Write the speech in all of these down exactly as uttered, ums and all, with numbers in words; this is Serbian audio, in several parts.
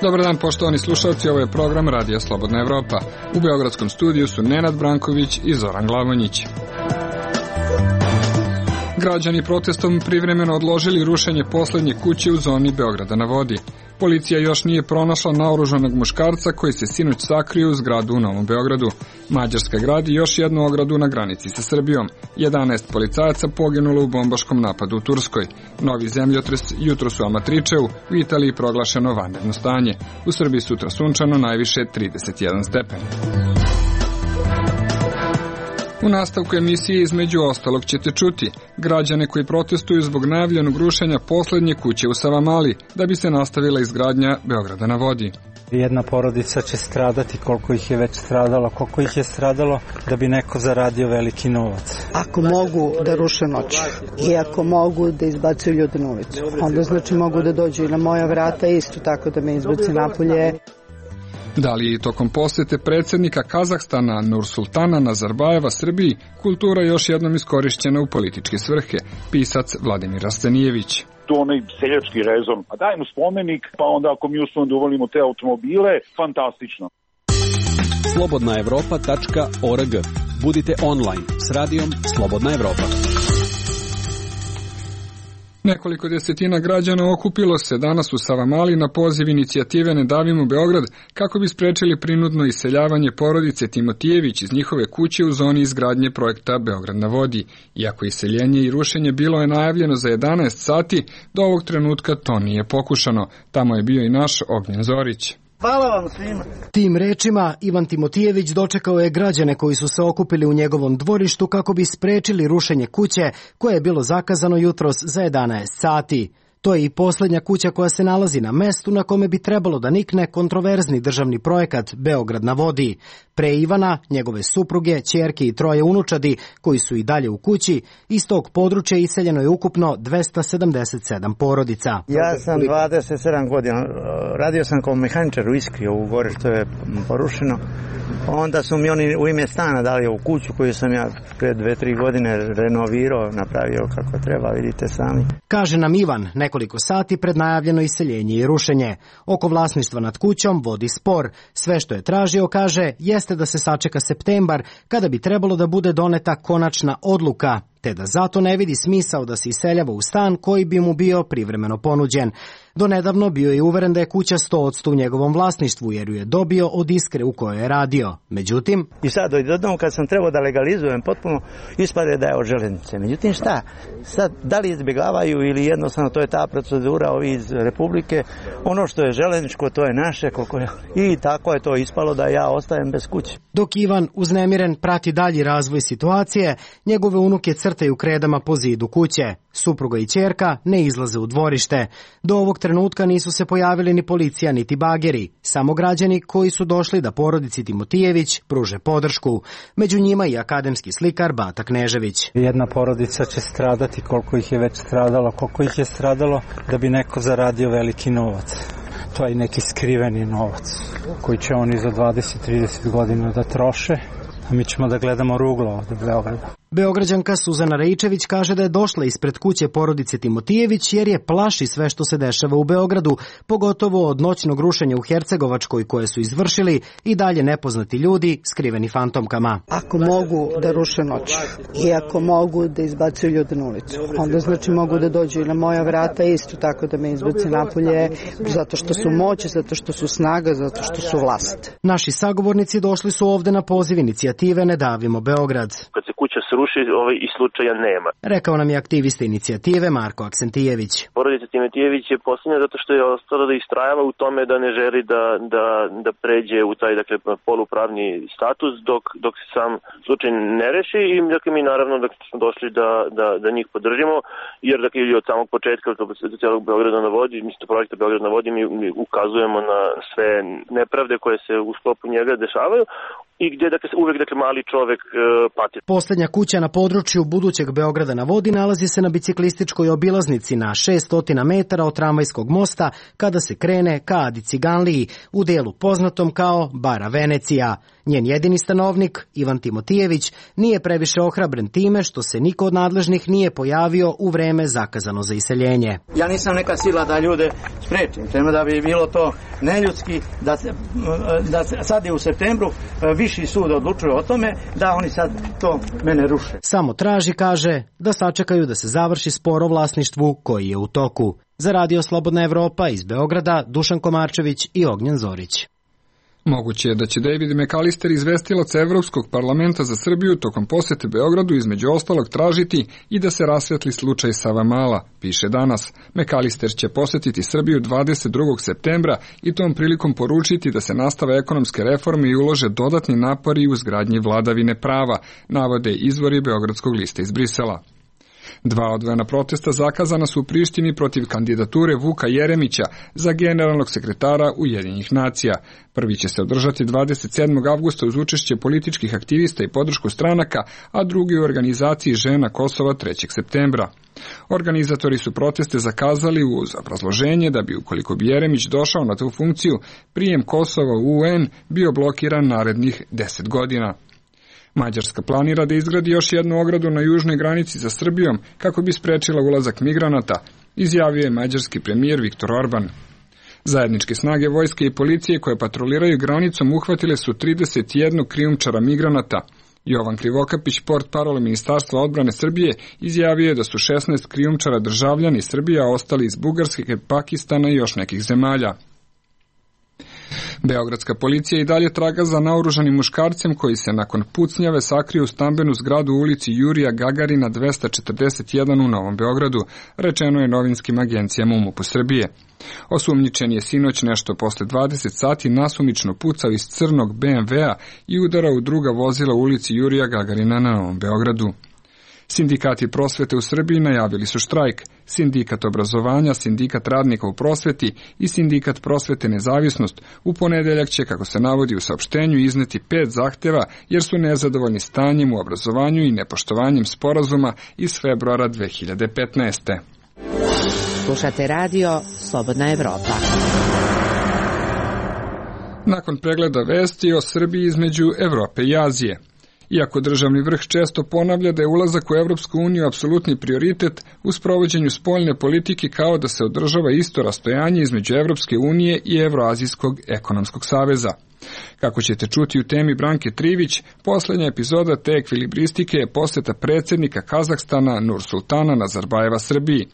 Dobar dan, poštovani slušalci, ovo je program Radija Slobodna Evropa. U beogradskom studiju su Nenad Branković i Zoran Glavonjić. Građani protestom privremeno odložili rušenje poslednje kuće u zoni Beograda na vodi. Policija još nije pronašla naoružanog muškarca koji se sinoć sakrio u zgradu u Novom Beogradu. Mađarska gradi još jednu ogradu na granici sa Srbijom. jedanaest policajaca poginulo u bombaškom napadu u Turskoj. Novi zemljotres jutros u Amatričeu, u Italiji proglašeno vanredno stanje. U Srbiji sutra sunčano, najviše trideset jedan stepen. U nastavku emisije između ostalog ćete čuti građane koji protestuju zbog najavljenog rušenja poslednje kuće u Savamali da bi se nastavila izgradnja Beograda na vodi. Jedna porodica će stradati, koliko ih je već stradalo, koliko ih je stradalo da bi neko zaradio veliki novac. Ako mogu da ruše noć i ako mogu da izbacuju ljude na ulicu, onda znači mogu da dođu i na moja vrata isto tako da me izbace napolje. Da li je tokom posete predsjednika Kazahstana Nursultana Nazarbajeva Srbiji kultura još jednom iskorišćena u političke svrhe, pisac Vladimir Arstenijević. To onaj seljački rezon, a dajmo spomenik, pa onda ako mi uspemo da uvolimo te automobile, fantastično. slobodna evropa tačka org. Budite online s radijom Slobodna Evropa. Nekoliko desetina građana okupilo se danas u Savamali na poziv inicijative Ne davimo Beograd kako bi sprečili prinudno iseljavanje porodice Timotijević iz njihove kuće u zoni izgradnje projekta Beograd na vodi. Iako iseljenje i rušenje bilo je najavljeno za jedanaest sati, do ovog trenutka to nije pokušano. Tamo je bio i naš Ognjen Zorić. Hvala vam svima. Tim rečima Ivan Timotijević dočekao je građane koji su se okupili u njegovom dvorištu kako bi sprečili rušenje kuće koje je bilo zakazano jutros za jedanaest sati. To je i poslednja kuća koja se nalazi na mestu na kome bi trebalo da nikne kontroverzni državni projekat Beograd na vodi. Pre Ivana, njegove supruge, ćerke i troje unučadi, koji su i dalje u kući, iz tog područja iseljeno je ukupno dvesta sedamdeset sedam porodica. Ja sam dvadeset sedam godina, radio sam kao mehaničar u Iskri, ovu gore što je porušeno. Onda su mi oni u ime stana dali ovu kuću koju sam ja pre dve, tri godine renovirao, napravio kako treba, vidite sami. Kaže nam Ivan, nekoliko sati pred najavljeno iseljenje i rušenje. Oko vlasništva nad kućom vodi spor. Sve što je tražio, kaže, jeste da se sačeka septembar, kada bi trebalo da bude doneta konačna odluka, te da zato ne vidi smisao da se iseljava u stan koji bi mu bio privremeno ponuđen. Donedavno bio je uveren da je kuća sto posto u njegovom vlasništvu, jer ju je dobio od Iskre u kojoj je radio. Međutim... I sad odjednom kad sam trebao da legalizujem potpuno, ispade da je od železnice. Međutim šta? Sad, da li izbjegavaju ili jednostavno to je ta procedura ovi iz Republike, ono što je železničko to je naše, koliko je... I tako je to ispalo da ja ostajem bez kuće. Dok Ivan uznemiren prati dalji razvoj situacije, njegove unuke crtaju kredama po zidu kuće. Supruga i ćerka ne izlaze u dvorište. Do ovog trenutka nisu se pojavili ni policija niti bageri, samo građani koji su došli da porodici Timotijević pruže podršku. Među njima i akademski slikar Bata Knežević. Jedna porodica će stradati, koliko ih je već stradalo, koliko ih je stradalo da bi neko zaradio veliki novac. To je neki skriveni novac koji će oni za dvadeset trideset godina da troše, a mi ćemo da gledamo ruglo od Beograda. Beograđanka Suzana Rejčević kaže da je došla ispred kuće porodice Timotijević jer je plaši sve što se dešava u Beogradu, pogotovo od noćnog rušenja u Hercegovačkoj koje su izvršili i dalje nepoznati ljudi skriveni fantomkama. Ako mogu da ruše noć i ako mogu da izbacuju ljude na ulicu, onda znači mogu da dođu i na moja vrata isto tako da me izbace napolje, zato što su moć, zato što su snaga, zato što su vlast. Naši sagovornici došli su ovde na poziv inicijative Ne davimo Beograd. Kad se kuća sruši, ovaj, i slučaja nema. Rekao nam je aktivista inicijative Marko Aksentijević. Porodica Timotijević je posljednja zato što je ostala da istrajava u tome da ne želi da, da, da pređe u taj dakle, polupravni status dok, dok se sam slučaj ne reši i dakle, mi naravno dakle, smo došli da, da, da njih podržimo jer dakle, od samog početka do celog Beograda na vodi, mislim projekta Beograd na vodi mi, mi ukazujemo na sve nepravde koje se u sklopu njega dešavaju i gdje dakle, uvek dakle, mali čovek uh, pati. Poslednja kuća na području budućeg Beograda na vodi nalazi se na biciklističkoj obilaznici na šessto metara od tramvajskog mosta kada se krene ka Adi Ciganliji u delu poznatom kao Bara Venecija. Njen jedini stanovnik, Ivan Timotijević, nije previše ohrabren time što se niko od nadležnih nije pojavio u vreme zakazano za iseljenje. Ja nisam neka sila da ljude sprečim, tema da bi bilo to neljudski, da, se, da se, sad je u septembru viši sud odlučuje o tome da oni sad to mene ruše. Samo traži, kaže, da sačekaju da se završi spor o vlasništvu koji je u toku. Za Radio Slobodna Evropa iz Beograda, Dušan Komarčević i Ognjen Zorić. Moguće je da će David McAllister, izvestilac Evropskog parlamenta za Srbiju, tokom posete Beogradu između ostalog tražiti i da se rasvetli slučaj Savamala, piše danas. McAllister će posetiti Srbiju dvadeset drugog septembra i tom prilikom poručiti da se nastave ekonomske reforme i ulože dodatni napori u izgradnji vladavine prava, navode izvori Beogradskog lista iz Brisela. Dva odvojena protesta zakazana su u Prištini protiv kandidature Vuka Jeremića za generalnog sekretara Ujedinjenih nacija. Prvi će se održati dvadeset sedmog avgusta uz učešće političkih aktivista i podršku stranaka, a drugi u organizaciji Žena Kosova trećeg septembra. Organizatori su proteste zakazali uz obrazloženje da bi, ukoliko bi Jeremić došao na tu funkciju, prijem Kosova u U N bio blokiran narednih deset godina. Mađarska planira da izgradi još jednu ogradu na južnoj granici sa Srbijom kako bi sprečila ulazak migranata, izjavio je mađarski premijer Viktor Orban. Zajedničke snage vojske i policije koje patroliraju granicom uhvatile su trideset jedan krijumčara migranata. Jovan Krivokapić, portparol Ministarstva odbrane Srbije, izjavio je da su šesnaest krijumčara državljani Srbije, a ostali iz Bugarske, Pakistana i još nekih zemalja. Beogradska policija i dalje traga za naoružanim muškarcem koji se nakon pucnjave sakrio u stambenu zgradu u ulici Jurija Gagarina dvesta četrdeset jedan u Novom Beogradu, rečeno je novinskim agencijama u MUP-u Srbije. Osumnjičen je sinoć nešto posle dvadeset sati nasumično pucao iz crnog be em ve a i udarao u druga vozila u ulici Jurija Gagarina na Novom Beogradu. Sindikati prosvete u Srbiji najavili su štrajk. Sindikat obrazovanja, Sindikat radnika u prosveti i Sindikat prosvete Nezavisnost u ponedeljak će, kako se navodi u saopštenju, izneti pet zahteva jer su nezadovoljni stanjem u obrazovanju i nepoštovanjem sporazuma iz februara dve hiljade petnaeste. Slušate radio Slobodna Evropa. Nakon pregleda vesti o Srbiji između Evrope i Azije. Iako državni vrh često ponavlja da je ulazak u Evropsku uniju apsolutni prioritet, u sprovođenju spoljne politike kao da se održava isto rastojanje između Evropske unije i Evroazijskog ekonomskog saveza. Kako ćete čuti u temi Branke Trivić, poslednja epizoda te ekvilibristike je poseta predsjednika Kazahstana Nursultana Nazarbajeva Srbiji.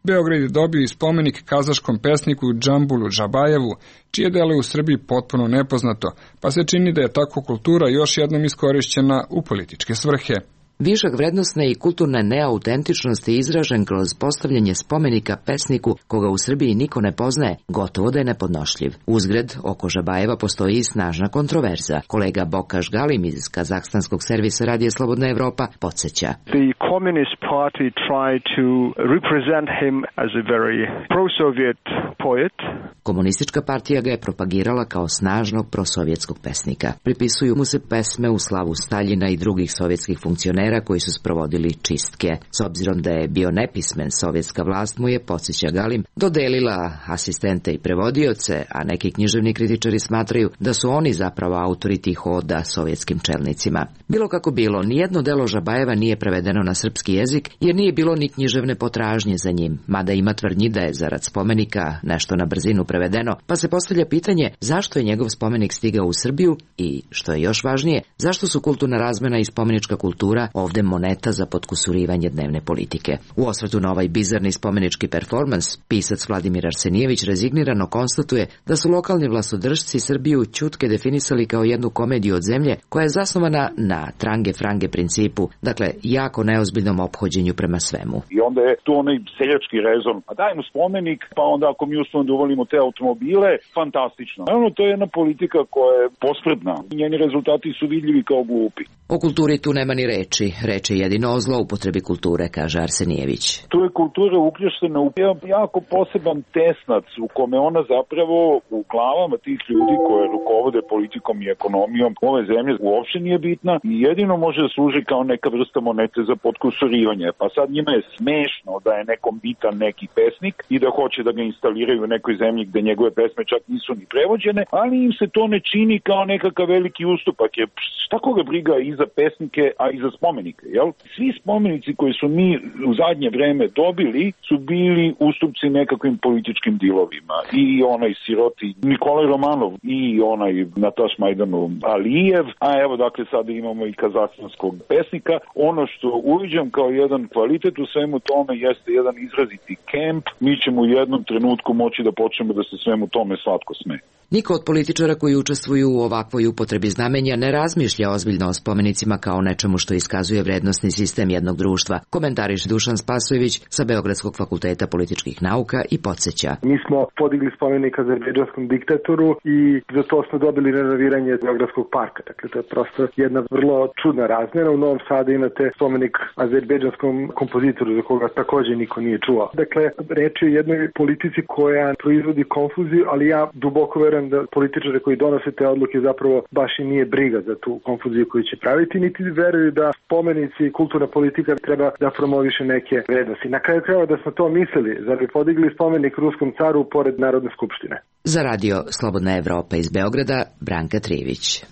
Beograd je dobio i spomenik kazaškom pesniku Džambulu Džabajevu, čije delo je u Srbiji potpuno nepoznato, pa se čini da je tako kultura još jednom iskorišćena u političke svrhe. Višak vrednosne i kulturne neautentičnosti je izražen kroz postavljanje spomenika pesniku koga u Srbiji niko ne poznaje, gotovo da je nepodnošljiv. Uzgred, oko Žabajeva postoji i snažna kontroverza. Kolega Bokaš Galim iz kazahstanskog servisa Radija Slobodna Evropa podsjeća. The Communist Party tried to represent him as a very pro-Soviet poet. Komunistička partija ga je propagirala kao snažnog prosovjetskog pesnika. Pripisuju mu se pesme u slavu Staljina i drugih sovjetskih funkcionera koji su sprovodili čistke. S obzirom da je bio nepismen, sovjetska vlast mu je, podsjeća Galim, dodelila asistente i prevodioce, a neki književni kritičari smatraju da su oni zapravo autori tih oda sovjetskim čelnicima. Bilo kako bilo, nijedno delo Žabajeva nije prevedeno na srpski jezik, jer nije bilo ni književne potražnje za njim, mada ima tvrdnji da je zarad spomenika nešto na brzinu prevedeno, pa se postavlja pitanje zašto je njegov spomenik stigao u Srbiju i, što je još važnije, zašto su kulturna razmena i spomenička kultura ovde moneta za potkusurivanje dnevne politike. U osvrtu na ovaj bizarni spomenički performans, pisac Vladimir Arsenijević rezignirano konstatuje da su lokalni vlastodržci Srbiju ćutke definisali kao jednu komediju od zemlje koja je zasnovana na trange-frange principu, dakle jako neozbiljnom ophođenju prema svemu. I onda je tu onaj seljački rezon, a dajmo spomenik, pa onda ako mi uspemo da uvolimo te automobile, fantastično. Naravno, to je jedna politika koja je pospredna. Njeni rezultati su vidljivi kao glupi. O kulturi tu nema ni reči, Znači, reče jedino o zloupotrebi kulture, kaže Arsenijević. Tu je kultura uključena u jako poseban tesnac u kome ona zapravo u glavama tih ljudi koje rukovode politikom i ekonomijom ove zemlje uopšte nije bitna i jedino može da služi kao neka vrsta monete za podkusurivanje. Pa sad njima je smešno da je nekom bitan neki pesnik i da hoće da ga instaliraju u nekoj zemlji gde njegove pesme čak nisu ni prevođene, ali im se to ne čini kao nekakav veliki ustupak. Je, šta koga briga i za pesnike, a i za spomenike, jel? Svi spomenici koji su mi u zadnje vreme dobili su bili ustupci nekakvim političkim dilovima. I onaj siroti Nikolaj Romanov i onaj Nataš Majdanov Alijev, a evo dakle sada imamo i kazakhstanskog pesnika. Ono što uviđam kao jedan kvalitet u svemu tome jeste jedan izraziti kemp. Mi ćemo u jednom trenutku moći da počnemo da se svemu tome slatko smeje. Niko od političara koji učestvuju u ovakvoj upotrebi znamenja ne razmišlja ozbiljno o spomenicima kao nečemu što iskazuje vrednosni sistem jednog društva, komentariše Dušan Spasojević sa Beogradskog fakulteta političkih nauka i podsjeća. Mi smo podigli spomenik azerbejdžanskom diktatoru i za to smo dobili renoviranje Beogradskog parka. Dakle, to je prosto jedna vrlo čudna razmjena. U Novom Sadu imate spomenik azerbejdžanskom kompozitoru za koga također niko nije čuo. Dakle, reč je o jednoj politici koja proizvodi konfuziju, ali ja duboko verujem da političare koji donose te odluke zapravo baš i nije briga za tu konfuziju koju će praviti, niti veruju da spomenici i kulturna politika treba da promoviše neke vrednosti. Na kraju krajeva da smo to mislili, zar bi podigli spomenik ruskom caru pored Narodne skupštine. Za radio Slobodna Evropa iz Beograda, Branka Trivić.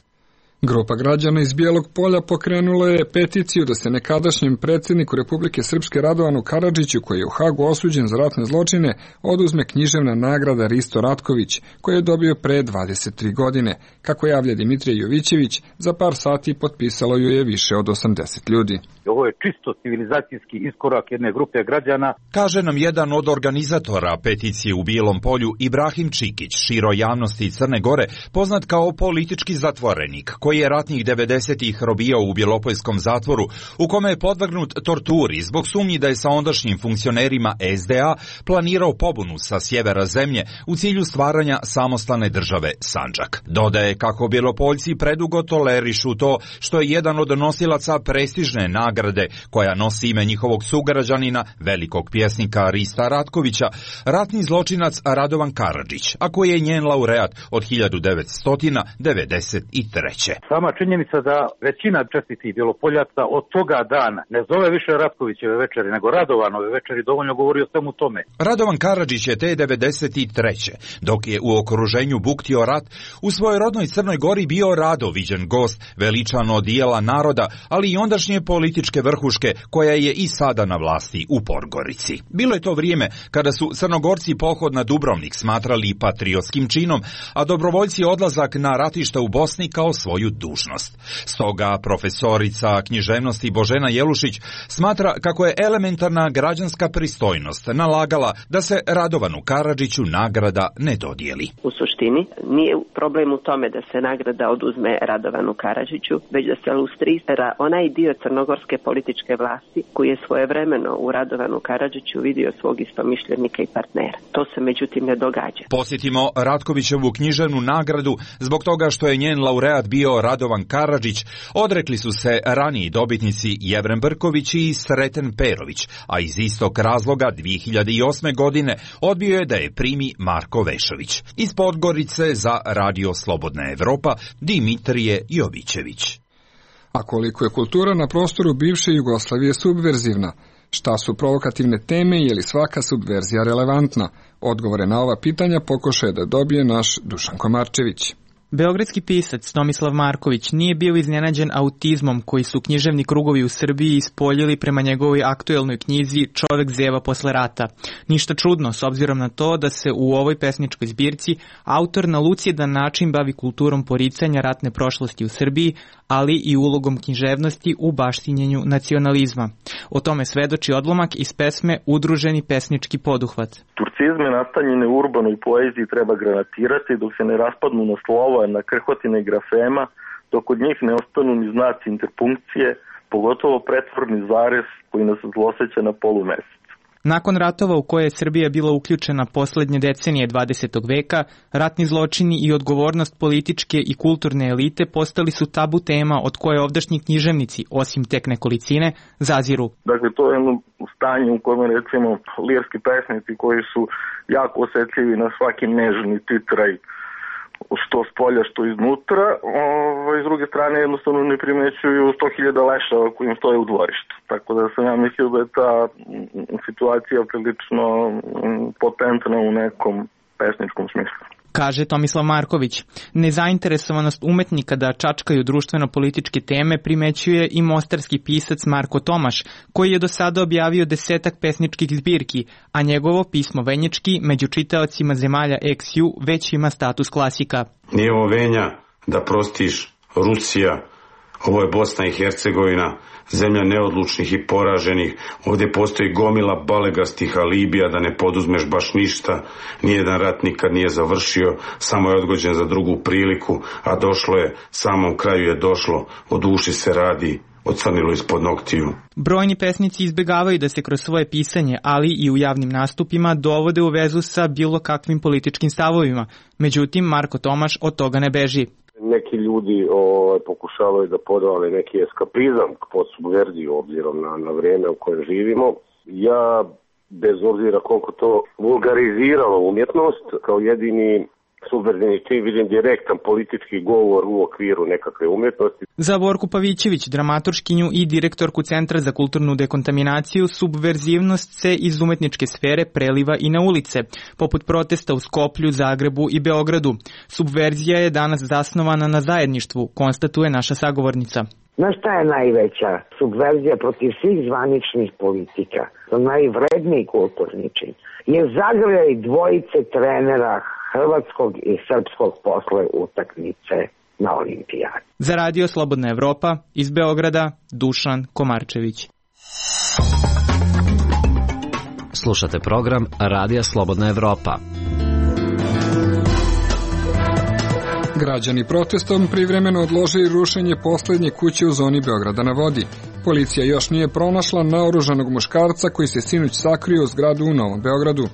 Grupa građana iz Bijelog Polja pokrenula je peticiju da se nekadašnjem predsjedniku Republike Srpske Radovanu Karadžiću, koji je u Hagu osuđen za ratne zločine, oduzme književna nagrada Risto Ratković, koju je dobio pre dvadeset tri godine. Kako javlja Dimitrije Jovićević, za par sati potpisalo ju je više od osamdeset ljudi. Ovo je čisto civilizacijski iskorak jedne grupe građana. Kaže nam jedan od organizatora peticije u Bijelom Polju, Ibrahim Čikić, široj javnosti Crne Gore, poznat kao politički zatvorenik, koji je ratnih devedesetih robijao u Bjelopoljskom zatvoru, u kome je podvrgnut torturi zbog sumnji da je sa ondašnjim funkcionerima es de a planirao pobunu sa sjevera zemlje u cilju stvaranja samostalne države Sandžak. Dodaje kako Bjelopoljci predugo tolerišu to što je jedan od nosilaca prestižne nagrade koja nosi ime njihovog sugrađanina, velikog pjesnika Rista Ratkovića, ratni zločinac Radovan Karadžić, a koji je njen laureat od hiljadu devetsto devedeset treće. Sama činjenica da većina čestitih Bjelopoljaca od toga dana ne zove više Ratkovićeve večeri, nego Radovanove večeri, dovoljno govori o svemu tome. Radovan Karadžić je te devedeset treće dok je u okruženju buktio rat, u svojoj rodnoj Crnoj Gori bio rado viđen gost, veličan od dijela naroda, ali i ondašnje političke vrhuške koja je i sada na vlasti u Podgorici. Bilo je to vrijeme kada su Crnogorci pohod na Dubrovnik smatrali patriotskim činom, a dobrovoljci odlazak na ratišta u Bosni kao svoju dužnost. Stoga profesorica književnosti Božena Jelušić smatra kako je elementarna građanska pristojnost nalagala da se Radovanu Karadžiću nagrada ne dodijeli. U suštini nije problem u tome da se nagrada oduzme Radovanu Karadžiću, već da se lustrira onaj dio crnogorske političke vlasti koji je svojevremeno u Radovanu Karadžiću vidio svog istomišljenika i partnera. To se međutim ne događa. Posjetimo Ratkovićevu književnu nagradu zbog toga što je njen laureat bio Radovan Karadžić. Odrekli su se raniji dobitnici Jevrem Brković i Sreten Perović, a iz istog razloga dvije hiljade osme. godine odbio je da je primi Marko Vešović. Iz Podgorice za radio Slobodna Evropa, Dimitrije Jovićević. A koliko je kultura na prostoru bivše Jugoslavije subverzivna? Šta su provokativne teme i je li svaka subverzija relevantna? Odgovore na ova pitanja pokušaje da dobije naš Dušan Komarčević. Beogradski pisac Tomislav Marković nije bio iznenađen autizmom koji su književni krugovi u Srbiji ispoljili prema njegovoj aktuelnoj knjizi Čovek zeva posle rata. Ništa čudno s obzirom na to da se u ovoj pesničkoj zbirci autor na lucidan način bavi kulturom poricanja ratne prošlosti u Srbiji, ali i ulogom književnosti u baštinjenju nacionalizma. O tome svedoči odlomak iz pesme Udruženi pesnički poduhvat. Turcizme nastanjene u urbanoj poeziji treba granatirati dok se ne raspadnu na slova, na krhotine grafema, dok od njih ne ostanu ni znaci interpunkcije, pogotovo pretvorni zarez koji nas zloseća na polumesec. Nakon ratova u koje je Srbija bila uključena poslednje decenije dvadesetog veka, ratni zločini i odgovornost političke i kulturne elite postali su tabu tema od koje ovdašnji književnici, osim tek nekolicine, zaziru. Dakle, to je jedno stanje u kojem, recimo, lirski pesnici koji su jako osetljivi na svaki nežni titraj, što s polja, što iznutra, ovaj, s druge strane jednostavno ne primećuju sto hiljada lešava koji im stoje u dvorištu. Tako da sam ja mislio da je ta situacija prilično potentna u nekom pesničkom smislu. Kaže Tomislav Marković. Nezainteresovanost umetnika da čačkaju društveno-političke teme primećuje i mostarski pisac Marko Tomaš, koji je do sada objavio desetak pesničkih zbirki, a njegovo pismo Venječki među čitaocima zemalja eks ju već ima status klasika. Nije ovo Venja da prostiš, Rusija, ovo je Bosna i Hercegovina, zemlja neodlučnih i poraženih, ovdje postoji gomila balegastih alibija da ne poduzmeš baš ništa, nijedan rat nikad nije završio, samo je odgođen za drugu priliku, a došlo je, samom kraju je došlo, o duši se radi, ocrnilo ispod noktiju. Brojni pesnici izbegavaju da se kroz svoje pisanje, ali i u javnim nastupima, dovode u vezu sa bilo kakvim političkim stavovima. Međutim, Marko Tomaš od toga ne beži. Neki ljudi o, pokušavaju da podvale neki eskapizam pod subverziju obzirom na, na vrijeme u kojem živimo. Ja, bez obzira koliko to vulgariziralo umjetnost, kao jedini subverzivni čin vidim direktan politički govor u okviru nekakve umjetnosti. Za Borku Pavićević, dramaturškinju i direktorku Centra za kulturnu dekontaminaciju, subverzivnost se iz umetničke sfere preliva i na ulice, poput protesta u Skoplju, Zagrebu i Beogradu. Subverzija je danas zasnovana na zajedništvu, konstatuje naša sagovornica. Znaš šta je najveća subverzija protiv svih zvaničnih politika, najvredniji kulturni čin, je zagrljaj dvojice trenera hrvatskog i srpskog posle utakmice na olimpijadi. Za Radio Slobodna Evropa iz Beograda, Dušan Komarčević. Slušate program Radija Slobodna Evropa. Građani protestom privremeno odložili rušenje poslednje kuće u zoni Beograda na vodi. Policija još nije pronašla naoružanog muškarca koji se sinoć sakrio u zgradu u Novom Beogradu.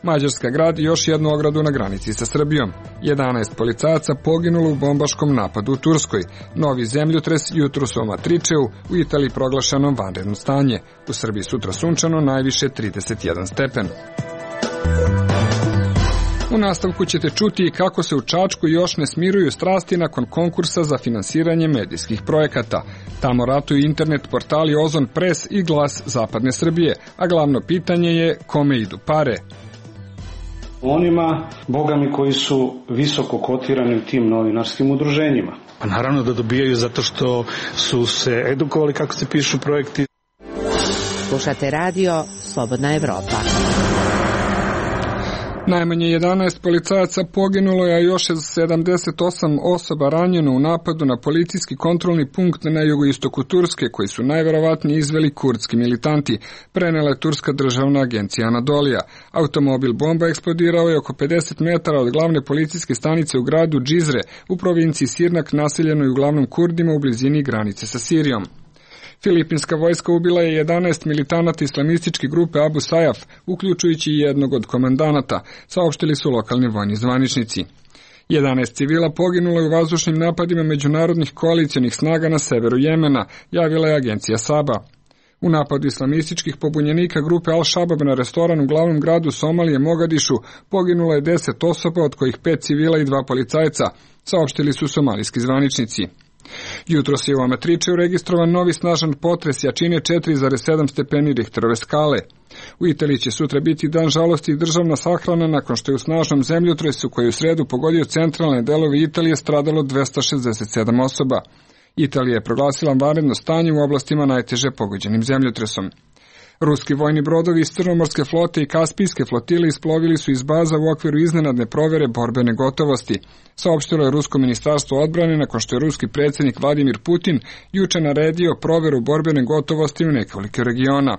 Mađarska gradi još jednu ogradu na granici sa Srbijom. jedanaest policajaca poginulo u bombaškom napadu u Turskoj. Novi zemljotres jutros u Amatričeu, u Italiji proglašeno vanredno stanje. U Srbiji sutra sunčano, najviše trideset jedan stepen. U nastavku ćete čuti kako se u Čačku još ne smiruju strasti nakon konkursa za finansiranje medijskih projekata. Tamo ratuju internet portali Ozon Pres i Glas Zapadne Srbije, a glavno pitanje je kome idu pare. Onima, bogami, koji su visoko kotirani u tim novinarskim udruženjima. Pa naravno da dobijaju zato što su se edukovali kako se pišu projekti. Slušate radio Slobodna Evropa. Najmanje jedanaest policajaca poginulo je, a još sedamdeset osam osoba ranjeno u napadu na policijski kontrolni punkt na jugoistoku Turske, koji su najverovatnije izveli kurdski militanti, prenela je Turska državna agencija Anadolija. Automobil bomba eksplodirao je oko pedeset metara od glavne policijske stanice u gradu Džizre, u provinciji Sirnak, naseljenoj uglavnom Kurdima u blizini granice sa Sirijom. Filipinska vojska ubila je jedanaest militanata islamističke grupe Abu Sajaf, uključujući i jednog od komandanata, saopštili su lokalni vojni zvaničnici. jedanaest civila poginulo je u vazdušnim napadima međunarodnih koalicijonih snaga na severu Jemena, javila je agencija Saba. U napadu islamističkih pobunjenika grupe Al-Shabaab na restoran u glavnom gradu Somalije Mogadišu poginulo je deset osoba, od kojih pet civila i dva policajca, saopštili su somalijski zvaničnici. Jutros je u Amatričeu registrovan novi snažan potres jačine četiri zarez sedam stepeni Richterove skale. U Italiji će sutra biti dan žalosti i državna sahrana nakon što je u snažnom zemljotresu koji je u sredu pogodio centralne delove Italije stradalo dvesta šezdeset sedam osoba. Italija je proglasila vanredno stanje u oblastima najteže pogođenim zemljotresom. Ruski vojni brodovi iz Crnomorske flote i Kaspijske flotile isplovili su iz baza u okviru iznenadne provere borbene gotovosti, saopštilo je Rusko ministarstvo odbrane nakon što je ruski predsjednik Vladimir Putin juče naredio proveru borbene gotovosti u nekoliko regiona.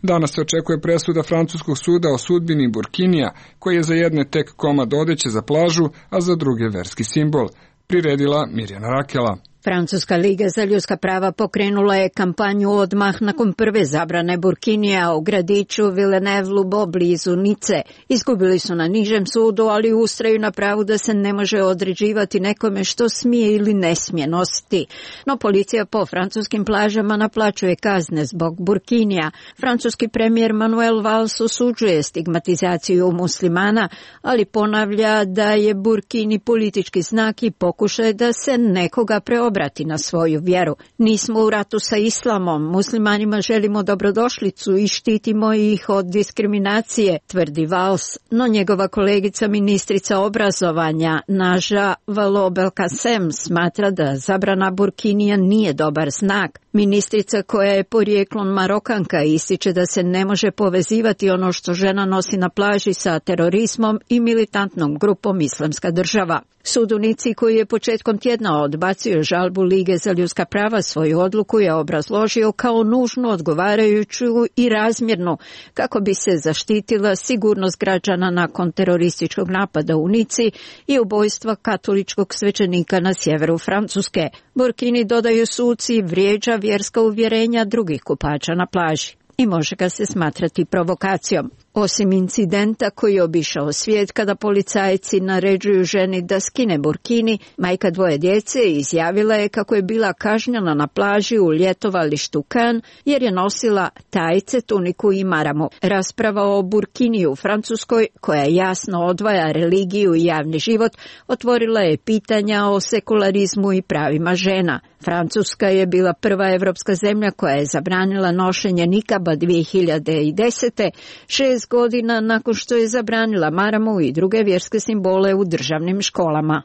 Danas se očekuje presuda francuskog suda o sudbini Burkinija, koji je za jedne tek komad odeće za plažu, a za druge verski simbol, priredila Mirjana Rakela. Francuska liga za ljudska prava pokrenula je kampanju odmah nakon prve zabrane burkinija u gradiću Villeneuve-Loubet blizu Nice. Izgubili su na nižem sudu, ali ustraju na pravu da se ne može određivati nekome što smije ili ne smije nositi. No policija po francuskim plažama naplaćuje kazne zbog burkinija. Francuski premijer Manuel Valls osuđuje stigmatizaciju muslimana, ali ponavlja da je burkini politički znak i pokušaj da se nekoga preobrati na svoju vjeru. Nismo u ratu sa islamom, muslimanima želimo dobrodošlicu i štitimo ih od diskriminacije, tvrdi Valls, no njegova kolegica ministrica obrazovanja Naža Vallaud-Belkacem smatra da zabrana burkinija nije dobar znak. Ministrica, koja je porijeklom Marokanka, ističe da se ne može povezivati ono što žena nosi na plaži sa terorizmom i militantnom grupom Islamska država. Sud u Nici, koji je početkom tjedna odbacio žalbu Lige za ljudska prava, svoju odluku je obrazložio kao nužnu, odgovarajuću i razmjernu kako bi se zaštitila sigurnost građana nakon terorističkog napada u Nici i ubojstva katoličkog svećenika na sjeveru Francuske. Burkini, dodaju suci, vrijeđa vjerska uvjerenja drugih kupača na plaži i može ga se smatrati provokacijom. Osim incidenta koji je obišao svijet kada policajci naređuju ženi da skine burkini, majka dvoje djece izjavila je kako je bila kažnjena na plaži u ljetovalištu Cannes jer je nosila tajce, tuniku i maramu. Rasprava o burkini u Francuskoj, koja jasno odvaja religiju i javni život, otvorila je pitanja o sekularizmu i pravima žena. Francuska je bila prva evropska zemlja koja je zabranila nošenje nikaba dvije hiljade desete. šest godina nakon što je zabranila maramu i druge vjerske simbole u državnim školama.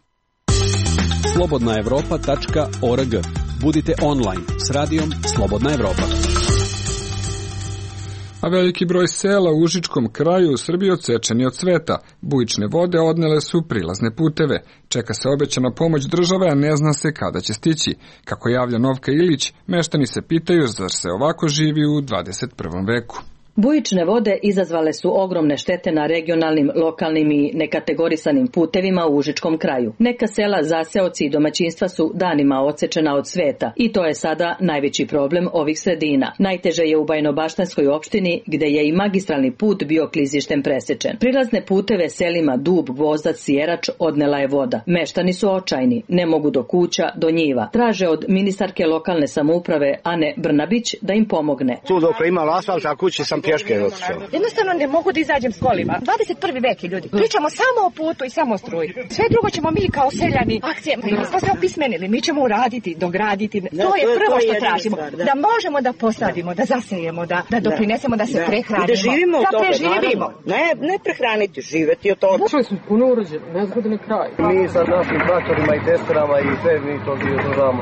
slobodna evropa tačka org. Budite online s radijom Slobodna Evropa. A veliki broj sela u Užičkom kraju u Srbiji odsečen je od sveta. Bujične vode odnele su prilazne puteve. Čeka se obećana pomoć države, a ne zna se kada će stići. Kako javlja Novka Ilić, meštani se pitaju zar se ovako živi u dvadeset prvom veku. Bujične vode izazvale su ogromne štete na regionalnim, lokalnim i nekategorisanim putevima u Užičkom kraju. Neka sela, zaseoci i domaćinstva su danima odsečena od sveta i to je sada najveći problem ovih sredina. Najteže je u Bajnobaštanskoj opštini, gde je i magistralni put bio klizištem presečen. Prilazne puteve selima Dub, Gvozdac, Sjerač odnela je voda. Meštani su očajni, ne mogu do kuća, do njiva. Traže od ministarke lokalne samouprave Ane Brnabić da im pomogne. Tu dok je imala asfalt, a kući sam pješke otišao. Jednostavno ne mogu da izađem s kolima. dvadeset prvi vek je, ljudi. Pričamo samo o putu i samo o struji. Sve drugo ćemo mi kao seljani akcije. Mi smo se opismenili, mi ćemo uraditi, dograditi. To je prvo što tražimo. Da možemo da posadimo, da zasijemo, da, da doprinesemo, da se prehranimo. Da živimo od toga, toga, preživimo. Ne, ne prehraniti, živeti od toga. Čuli smo puno urađeno, nezgodan kraj. Mi sa našim traktorima i testerama i sve mi to održavamo.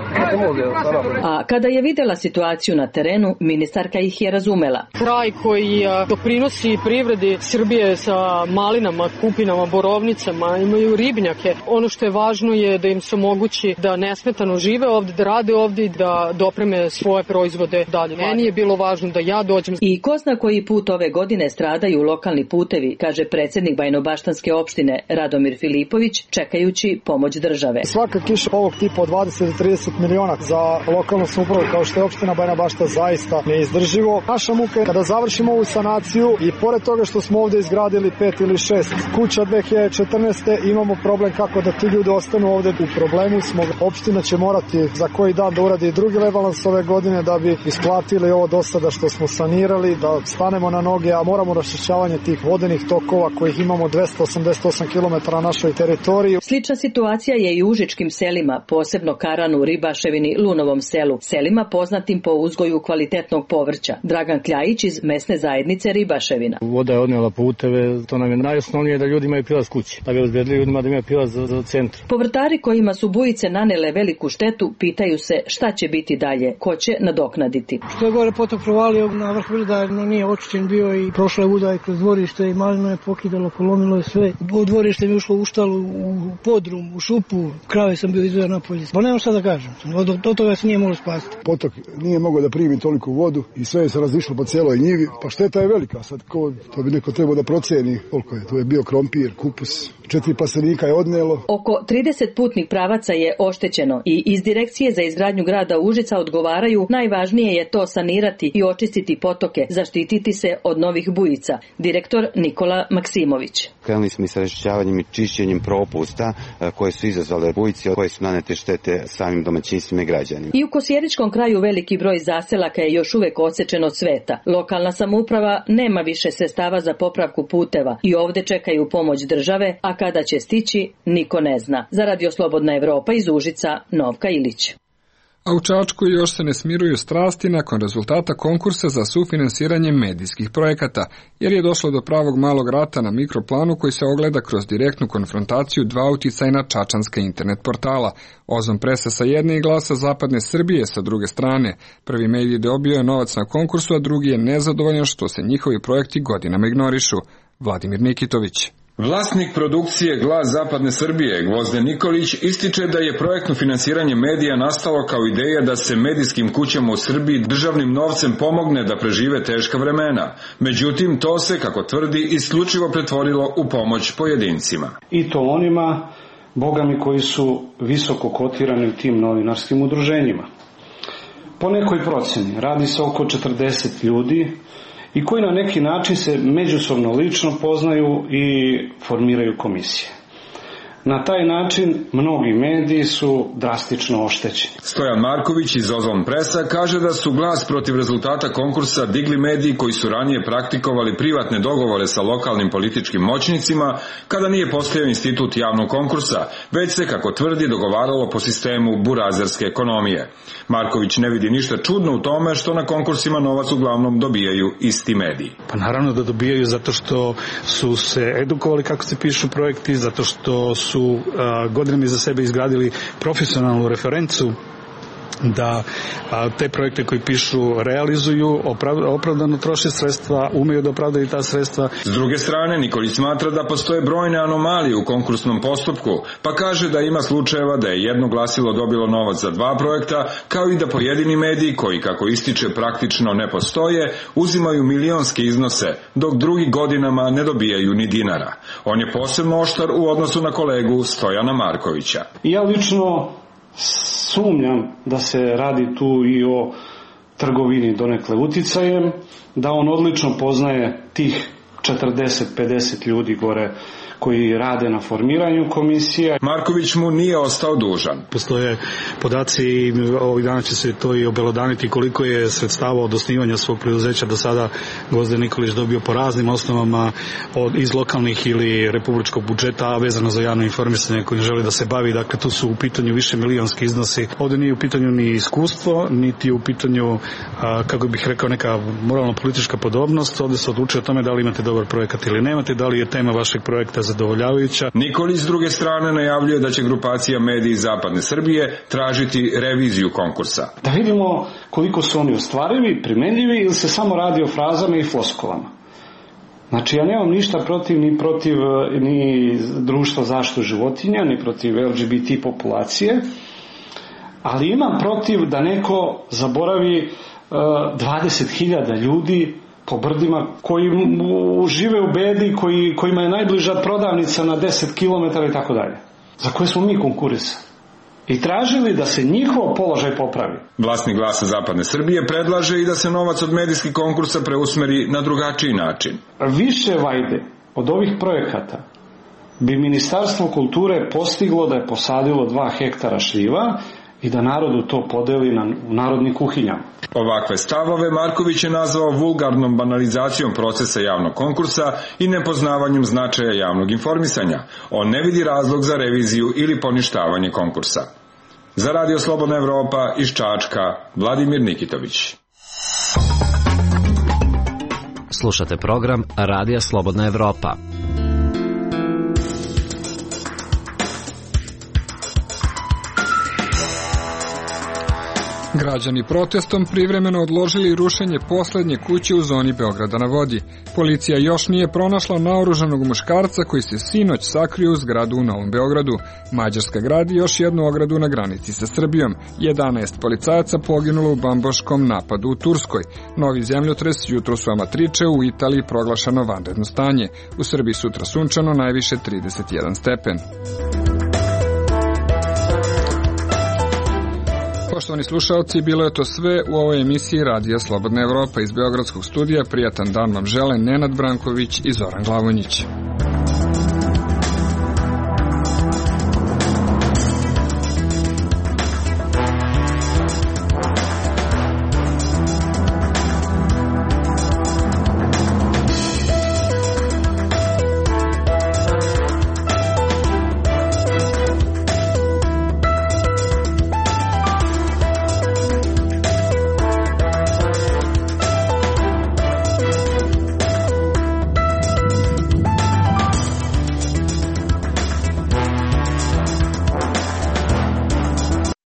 A kada je videla situaciju na terenu, ministarka ih je razumela. Kraj koji doprinosi privredi Srbije sa malinama, kupinama, borovnicama, imaju ribnjake. Ono što je važno je da im se omogući da nesmetano žive ovde, da rade ovde i da dopreme svoje proizvode dalje. Meni je bilo važno da ja dođem. I ko zna koji put ove godine stradaju lokalni putevi, kaže predsjednik Bajnobaštanske opštine Radomir Filipović, čekajući pomoć države. Svaka kiša ovog tipa od dvadeset do trideset miliona za lokalnu samoupravu kao što je opština Bajnobašta zaista neizdrživo. Naša muka je kada završimo ovu sanaciju i pored toga što smo ovde izgradili pet ili šest kuća dve hiljade četrnaeste. imamo problem kako da ti ljudi ostanu ovde. U problemu smo. Opština će morati za koji dan da uradi drugi rebalans ove godine da bi isplatili ovo do sada što smo sanirali, da stanemo na noge, a moramo raščišćavanje tih vodenih tokova kojih imamo dvesta osamdeset osam kilometara na našoj teritoriji. Slična situacija je i u užičkim selima, posebno Karanu, Ribaševini, Lunovom selu, selima poznatim po uzgoju kvalitetnog povrća. Dragan Kljajić iz mesne zajednice Ribaševina. Voda je odnela puteve, to nam je najosnovnije da ljudi imaju prilaz kući, da bi obezbedili ljudima da imaju prilaz za, za centru. Povrtari kojima su bujice nanele veliku štetu pitaju se šta će biti dalje, ko će nadoknaditi. Što je gore potok provalio na vrh Vrda, no nije očišćen bio i prošla je voda i kroz dvorište i malino je pokidalo, polomilo je sve. U dvorište mi je ušlo u štalu, u podrum, u šupu, krave sam bio izveo napolje. Pa nemam šta da kažem, od, od toga se nije moglo spasiti. Potok nije mogao da primi toliko vodu i sve je se razišlo po cijeloj njivi. Pa šteta je velika, sad ko, to bi neko trebao da proceni koliko je. To je bio krompir, kupus, četiri plastenika je odnelo. Oko trideset putnih pravaca je oštećeno i iz Direkcije za izgradnju grada Užica odgovaraju najvažnije je to sanirati i očistiti potoke, zaštititi se od novih bujica. Direktor Nikola Maksimović. Krenuli smo i sa raščišćavanjem i čišćenjem propusta koje su izazvale bujice, koje su nanete štete samim domaćinstvima i građanima. I u Kosjeričkom kraju veliki broj zaselaka je još uvek odsečen od sveta. Lokalna samouprava nema više sredstava za popravku puteva i ovde čekaju pomoć države, a kada će stići, niko ne zna. Za Radio Slobodna Evropa iz Užica, Novka Ilić. A u Čačku još se ne smiruju strasti nakon rezultata konkursa za sufinansiranje medijskih projekata, jer je došlo do pravog malog rata na mikroplanu koji se ogleda kroz direktnu konfrontaciju dva uticajna čačanska internet portala. Ozon presa sa jedne i Glasa Zapadne Srbije sa druge strane. Prvi medij dobio je novac na konkursu, a drugi je nezadovoljan što se njihovi projekti godinama ignorišu. Vladimir Nikitović. Vlasnik produkcije Glas Zapadne Srbije, Gvozden Nikolić, ističe da je projektno finansiranje medija nastalo kao ideja da se medijskim kućama u Srbiji državnim novcem pomogne da prežive teška vremena. Međutim, to se, kako tvrdi, isključivo pretvorilo u pomoć pojedincima. I to onima, bogami, koji su visoko kotirani u tim novinarskim udruženjima. Po nekoj proceni radi se oko četrdeset ljudi, i koji na neki način se međusobno lično poznaju i formiraju komisije. Na taj način mnogi mediji su drastično oštećeni. Stojan Marković iz Ozon presa kaže da su glas protiv rezultata konkursa digli mediji koji su ranije praktikovali privatne dogovore sa lokalnim političkim moćnicima kada nije postojao institut javnog konkursa, već se, kako tvrdi, dogovaralo po sistemu burazerske ekonomije. Marković ne vidi ništa čudno u tome što na konkursima novac uglavnom dobijaju isti mediji. Pa naravno da dobijaju zato što su se edukovali kako se pišu projekti, zato što su su godinama za sebe izgradili profesionalnu referencu da a, te projekte koji pišu realizuju, opravdano troše sredstva, umeju da opravdaju ta sredstva. S druge strane, Nikolić smatra da postoje brojne anomalije u konkursnom postupku, pa kaže da ima slučajeva da je jedno glasilo dobilo novac za dva projekta, kao i da pojedini mediji, koji, kako ističe, praktično ne postoje, uzimaju milionske iznose, dok drugi godinama ne dobijaju ni dinara. On je posebno oštar u odnosu na kolegu Stojana Markovića. Ja lično sumnjam da se radi tu i o trgovini donekle uticajem, da on odlično poznaje tih četrdeset pedeset ljudi gore koji rade na formiranju komisija. Marković mu nije ostao dužan. Postoje podaci i ovih dana će se to i obelodaniti koliko je sredstava od osnivanja svog preduzeća do sada Gvozden Nikolić dobio po raznim osnovama od, iz lokalnih ili republičkog budžeta, a vezano za javno informisanje koji želi da se bavi. Dakle, tu su u pitanju više milionski iznosi. Ovdje nije u pitanju ni iskustvo, niti u pitanju, a, kako bih rekao, neka moralno-politička podobnost. Ovdje se odlučuje o tome da li imate dobar projekat ili nemate, da li je tema vašeg projekta zadovoljavajuća. Nikolić s druge strane najavljuje da će grupacija Mediji Zapadne Srbije tražiti reviziju konkursa. Da vidimo koliko su oni ostvarivi, primenljivi ili se samo radi o frazama i floskolama. Znači, ja nemam ništa protiv ni protiv ni društva zaštitu životinja, ni protiv L G B T populacije, ali imam protiv da neko zaboravi uh, dvadeset hiljada ljudi po brdima koji žive u bedi, koji, kojima je najbliža prodavnica na deset kilometara i tako dalje, za koje smo mi konkurisali i tražili da se njihov položaj popravi. Vlasnik Glasa Zapadne Srbije predlaže i da se novac od medijskih konkursa preusmeri na drugačiji način. Više vajde od ovih projekata bi Ministarstvo kulture postiglo da je posadilo dva hektara šljiva i da narodu to podeli na narodnim kuhinjama. Ovakve stavove Marković je nazvao vulgarnom banalizacijom procesa javnog konkursa i nepoznavanjem značaja javnog informisanja. On ne vidi razlog za reviziju ili poništavanje konkursa. Za Radio Slobodna Evropa iz Čačka, Vladimir Nikitović. Slušate program Radija Slobodna Evropa. Građani protestom privremeno odložili rušenje poslednje kuće u zoni Beograda na vodi. Policija još nije pronašla naoružanog muškarca koji se sinoć sakrio u zgradu u Novom Beogradu. Mađarska gradi još jednu ogradu na granici sa Srbijom. jedanaest policajaca poginulo u bambaškom napadu u Turskoj. Novi zemljotres jutro su amatriče, u Italiji proglašeno vanredno stanje. U Srbiji sutra sunčano, najviše trideset jedan stepen. Poštovani slušalci, bilo je to sve u ovoj emisiji Radija Slobodna Evropa. Iz Beogradskog studija prijatan dan vam žele Nenad Branković i Zoran Glavonjić.